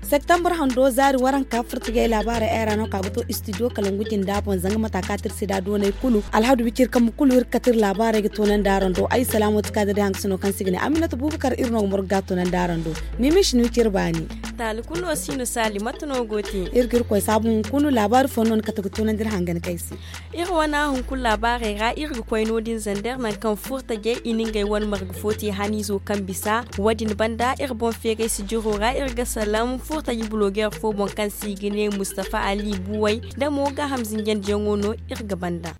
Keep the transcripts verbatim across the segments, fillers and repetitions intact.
Septembre hando zaari waranka furtajey laabaarey ay ra no ka ga to istidiyo kalangu jinda boŋ zanga mata ka tirsi da doonay kulu alhadu wicir kambe kulu iri ga kate iri laabaarey ga toonandi araŋ do ay salaamo ti ka da day hangasino kaŋ se i ga ne aminata buubakar iri no ga morgu ga toonandi araŋ do. Mimiši ni wicir baani. Taali kulu no si no saali mate no go te? Iri ga iri koy saabu hunkuna laabaari fo no ni kate ga toonandi iri hangan kay se. Iri wane hunkuna laabaarey ra iri ga koy no- din zander nangu kaŋ furtajey i na ngey wane marga fo te haniizo kaŋ bisa. Wo- din banda iri boŋ feeray sijiro ra iri ga salaŋ furtaji bulogeer fo boŋ kaŋ se i ga ne mustafa ali buway da mo gaaham zinjandiyaŋo no iri ga banda.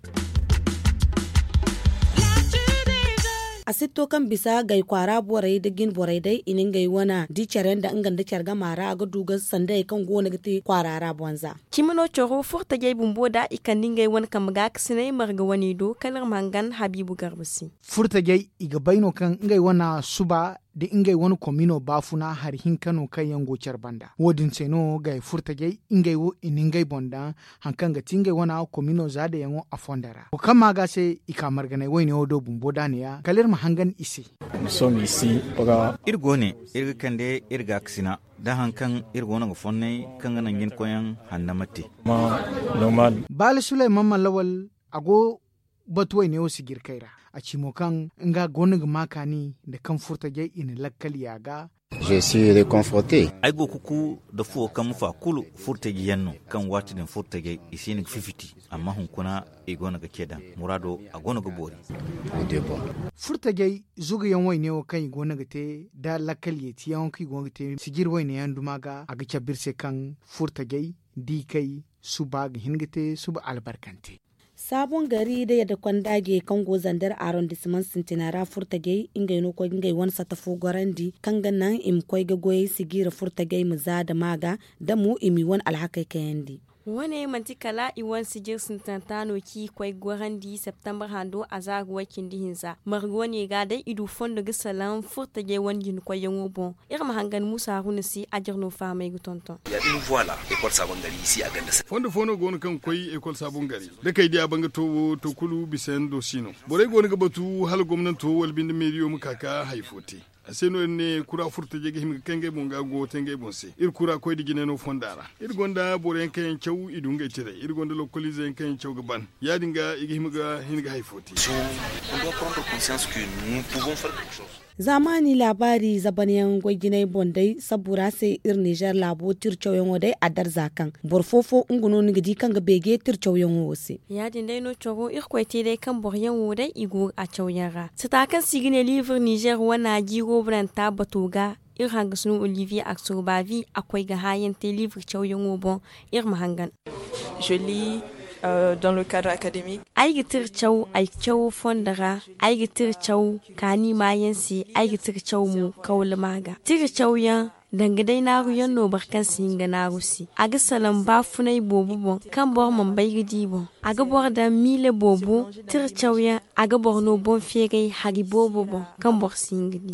A sitto kaŋ bisa gay kwaara borey nda jine borey day i na ngey wane di care yaŋ nda nga nda care gama ra a ga du ga sandayey kaŋ go no ga te kwaara ra bonza. Cimi no coro furtajey bumbo da i kande ngey wane kambe gaakasinay marga wane do kala iri ma hangan habiibu garba se. Furtajey i ga bay no kaŋ ngey wane suba nda ngey wane komino baafuna hari hinka no kaŋ yaŋ go care banda wo- din se no gay furtajey ngey wo i na ngey boŋ daŋ hari kaŋ ga ti ngey wane komino za dayaŋo a fondo ra wo kaŋ ma ga se i ka marganay wayne wo do bumbo da neeya kala iri ma hangan i se. Iri go ne iri ga kande iri gaakasina da hari kaŋ iri go no ga fonnay kaŋ ga naŋ jina koyyaŋ hannama te. Baala sulayman mallawal a go batu wayne wo sijirkey ra a ci mo kaŋ nga go no ga ma kaani nda kaŋ furtajey i na lakkal yaaga. Ay go ga ku nda fuwo kaŋ ma fa kulu furtaji yaŋ no kaŋ waati din furtajey i si hin ga fifiti amma hunkuna i go no ga ce daŋ muraado a go no ga boori. Furtajey zuga yaŋ wayne wo kaŋ i go no ga te nda lakkal yeeti yaŋo kaŋ i go no ga te sijiri wayne yaŋ duma ga a ga cabe iri se kaŋ furtajey diikay suba ga hin ga te suba albarkante. Saabon gari nda yadda konda je kaŋ go zander arrondissement sintina ra furtajey ngey no koy ga ngey wane satta fo gorandi kaŋ ga naŋ i ma koy ga goyey sijira furtajey ma za nda maaga nda mo i m'i wane alhakey kayandi. Wane manti kala i wane sijir sintinanta no kaŋ i koy ga gorandi septembre hando a za ga way cindi hinza marga wane ga day i du fondo ga salaŋ furtajey wane jina koyyaŋo boŋ. Iri ma hangan muusa haruna se a jire no fahamey ga tonton. Fondo fo no go no kaŋ ga koy ekol saabon gari da kay di a banga to wo to kulu bisa yaŋ do si no. Borey go no ga batu hala gomnanto wala binde meeriyo ma ka ga hari fo te. A se no iri ne kura furtajey ga hima ga kay ngey boŋ ga go te ngey boŋ se iri kura koy nda jinay no fonda ra. Iri gonda boro yaŋ kaŋ yaŋ caw i du ngey tirey iri gonda lokoliize yaŋ kaŋ yaŋ caw ga ban ya- din ga i ga hima ga hin ga hari fo te. Zaamaani laabaari zabanyaŋ goy jinay boŋ day sabbu ra se iri nizer laabo tira cawyaŋo day a darza kaŋ boro fo-fo nga no ni ga di kaŋ ga beeje tira cawyaŋo wo se. Ya- din day no coro irkoy te day kaŋ boroyaŋ wo day i go a cawyaŋ ra sata kaŋ se i ga ne liibur nizer wane jiiro bananta bato ga. Iri hangasino olivier aksobavi a koy ga haayaŋ te liibur cawyaŋo boŋ. Iri ma hangan. Ay ga tira caw ay cawo fondo ra. Ay ga tira caw kaani maayaŋ se. Ay ga tira caw mo kawlama ga tira cawyaŋ danga day naaruyaŋ no boro kaŋ si hin ga naaru se. A ga salaŋ baafunay boobo boŋ kaŋ boro mana bay ga di boŋ. A ga boro daŋ miile boobo tira cawyaŋ. A ga boro no boŋ feeray hari boobo boŋ kaŋ boro si hin ga di.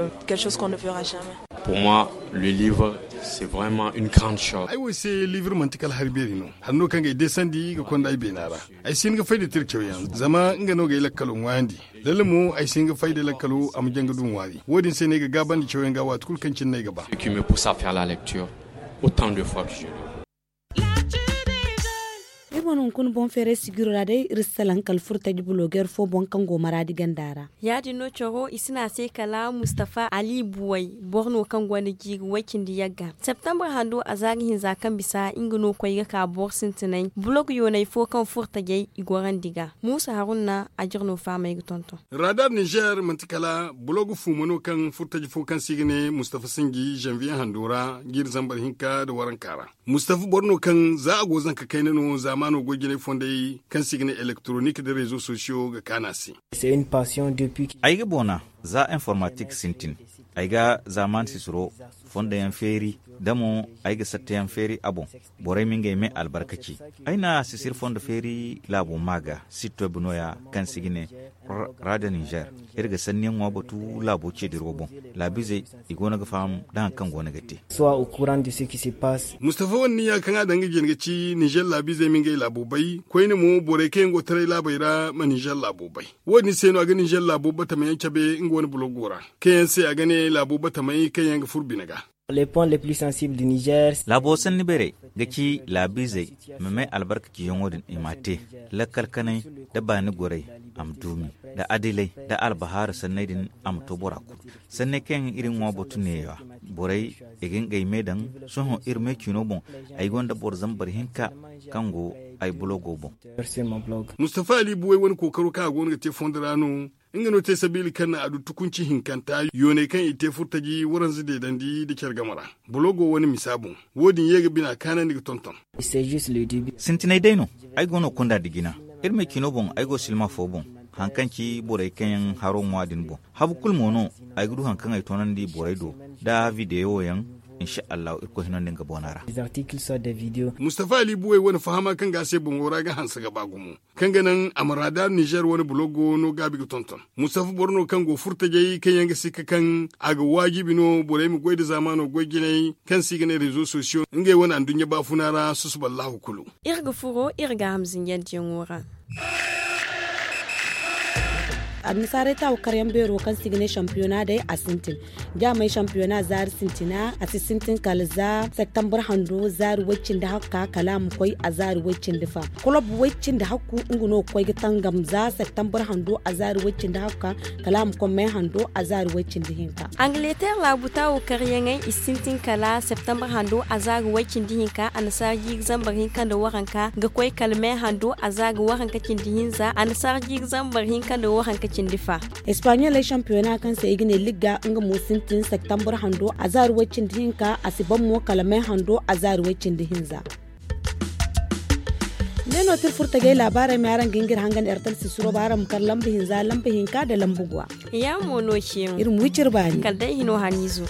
Pour moi, le livre, c'est vraiment une grande chose. Ay wo se livre manti kala hari beeri no. Hari no kaŋ ga ay deesandi ga konda ay beena ra. Ay si hin ga fay nda tira cawyaŋ zama nga no ga ay lakkalo ŋwaayandi. Lalle mo ay si hin ga fay nda lakkalo a ma jaŋ ga du ŋwaari wo- din se no ay ga gaabandi cawyaŋ ga waati kulu kaŋ cine no ay ga ba. Iri wane hunkuna boŋ feeray sijiro ra day iri si salaŋ kala furtaji bulogeer fo boŋ kaŋ go maraadi ganda ra. Ya- din no coro i si ne a se kala mustafa ali buway boro no kaŋ gonda jiiri way-cindi yagga septembre hando a za ga hinza kaŋ bisa nga no koy ga ka boro sintinay bulog yoonay fo kaŋ furtajey i gorandi ga muusa haruna a jire no fahamey ga tonton. Radar nizer manti kala bulog fuuma no kaŋ furtaji fo kaŋ se i ga ne mustafa sinji janvier hando ra jiiri zambar hinka nda waranka ra. Mustafa boro no kaŋ za a go zanka kayna no zaamaano goy jinay fondey kaŋ se i ga ne elektronik nda rezo sosiyo ga kaanu a se. Ay ga boona za informatik sintin. Ay ga zaamaan sisiro fondo yaŋ feeri da mo ay ga satta yaŋ feeri a boŋ. Borey ma ngey me albarkaci. Ay na sisir fondo feeri laabo maa ga sitto bi nooya kaŋ se i ga ne. ra da nizer. Iri ga sanniyaŋo batu laabo ceediro boŋ. Laabiizey i go no ga faham da hari kaŋ go no ga te. Soit au courant de ce qui se passe. Mustafa wane niya kaŋ a daŋ ga jin ga ci nizer laabiizey ma ngey laabo bay koyne mo borey kaŋ yaŋ go taray laabey ra ma nizer laabo bay. Wo- din se no a ga nizer laabo batamayaŋ cabe nga wane bulogo ra, kaŋ yaŋ se a ga ne laabo batamay kaŋ yaŋ ga furo bine ga. Laabo sanni beerey ga ci laabiizey ma may albarka ciyaŋo din i m'a te, lakkal kanay nda baani gorey a ma duumi, nda adilay nda albahaara sanney din a ma to bora kulu. Sanney kaŋ yaŋ iri ŋwa batu neeya, borey i ga ngey me daŋ. Sohõ iri me ciino boŋ, ay gonda boro zambar hinka kaŋ go ay bulogo boŋ. Mustafa ali buwey wane kookaro kaŋ a go no ga te fondo ra no. Nga no te sabiila kaŋ naŋ a du tukunci hinkanta yooney kaŋ i te furtaji waranza deedandi nda care game ra. Bulogo wane misa boŋ, wo- din ye ga bina kaanandi ga tonton. Sintinay day no. Ay go no kunda nda jina. Iri me ciino boŋ ay go silma fo boŋ, hari kaŋ ci borey kaŋ yaŋ haro ŋwa din boŋ. Habu kulu mo no ay ga du hari kaŋ ay toonandi borey do nda videwo yaŋ. Insa allahu irkoy hino nda nga boona ra. Mustafa ali buwey wane fahama kaŋ ga a se boŋo ra ga hanse ga ba gumo, kaŋ ga naŋ a ma raadar nizer wane bulogo no gaabi ga tonton. Mustafa boro no kaŋ go furtajey kaŋ yaŋ ga sikka kaŋ a ga waajibi no borey ma goy nda zaamaano goy jinay kaŋ se i ga ne rezo sosiyo ngey wane anduɲɲa baafuna ra susuballahu kulu. Iri ga furo iri ga hamzinjandiyaŋo ra. Annasaarey taawa karyaŋ beero kaŋ se i ga ne shampiyona day a sintin. Jaamey shampiyona zaari sintina a si sintin kala za septambur hando zaari way-cindi hakka kala a ma koy a zaari way-cindi fa. Kolob way-cindi hakku nga no ga koy ga tangam za septambur hando a zaari way-cindi hakka kala a ma koy may hando a zaari way-cindi hinka. Angleter laabu taawo karyaŋey i sintin kala septambur hando a zaari way-cindi hinka annasaara jiiri zambar hinka nda waranka ga koy kala may hando a zaari waranka cindi hinza annasaara jiiri zambar hinka nda waranka cindi fa. Espaɲoley shampiyona kaŋ se i ga ne ligga nga mo sintin septambur hando a zaari way-cindi hinka a si ban mo kala may hando a zaari way-cindi hinza. Ne no tir furtajey laabaarey ma araŋ ga hin ga iri hangan ertel sisiro ba araŋ ma kar lamba hinza lamba hinka nda lamba guwa. Iri ma wi cire baani kala day hino haniizo.